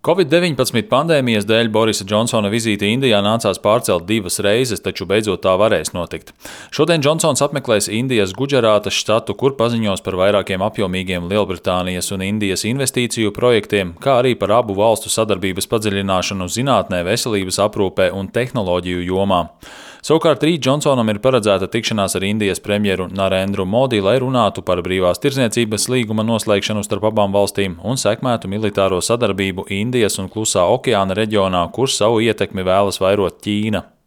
Covid-19 pandēmijas dēļ Borisa Džonsona vizīti Indijā nācās pārcelt 2 reizes, taču beidzot tā varēs notikt. Šodien Džonsons apmeklēs Indijas Gudžarātas štatu, kur paziņos par vairākiem apjomīgiem Lielbritānijas un Indijas investīciju projektiem, kā arī par abu valstu sadarbības padziļināšanu zinātnē, veselības aprūpē un tehnoloģiju jomā. Savukārt rīt Džonsonam ir paredzēta tikšanās ar Indijas premjeru Narendru Modi, lai runātu par brīvās tirdzniecības līguma noslēgšanu starp abām valstīm un sekmētu militāro sadarbību Indijas un Klusā okeāna reģionā, kur savu ietekmi vēlas vairot Ķīna.